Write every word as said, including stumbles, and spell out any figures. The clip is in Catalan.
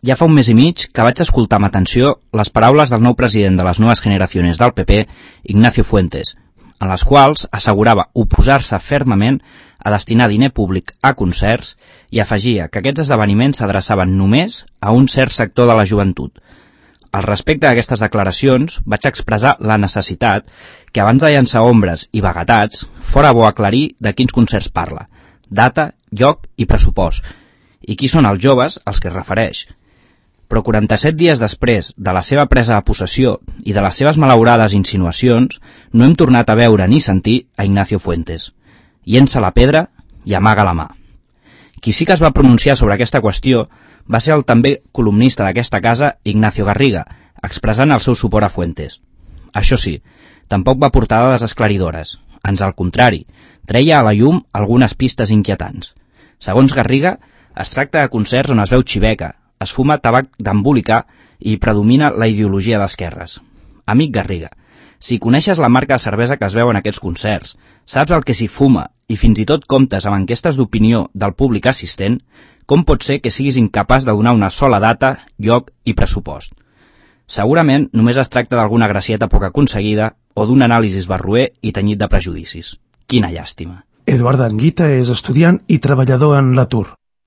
Ja fa un mes i mig que vaig escoltar amb atenció les paraules del nou president de les Nuevas Generaciones del P P, Ignacio Fuentes, en les quals assegurava oposar-se fermament a destinar diner públic a concerts i afegia que aquests esdeveniments s'adreçaven només a un cert sector de la joventut. Al respecte d'aquestes declaracions, vaig expressar la necessitat que abans de llançar ombres i vaguetats fora bo aclarir de quins concerts parla, data, lloc i pressupost, i qui són els joves als que es refereix. Però quaranta-set dies després de la seva presa de possessió i de les seves malaurades insinuacions, no hem tornat a veure ni sentir a Ignacio Fuentes. Llença la pedra i amaga la mà. Qui sí que es va pronunciar sobre aquesta qüestió va ser el també columnista d'aquesta casa, Ignacio Garriga, expressant el seu suport a Fuentes. Això sí, tampoc va portar dades esclaridores. Ans al contrari, treia a la llum algunes pistes inquietants. Segons Garriga, es tracta de concerts on es veu xiveca, es fuma tabac d'embolicar i predomina la ideologia d'esquerres. Amic Garriga, si coneixes la marca de cervesa que es veu en aquests concerts, saps el que s'hi fuma i fins i tot comptes amb enquestes d'opinió del públic assistent, com pot ser que siguis incapaç de donar una sola data, lloc i pressupost? Segurament només es tracta d'alguna gracieta poc aconseguida o d'un anàlisi barroer i tenyit de prejudicis. Quina llàstima. Eduard Anguita és estudiant i treballador en l'atur.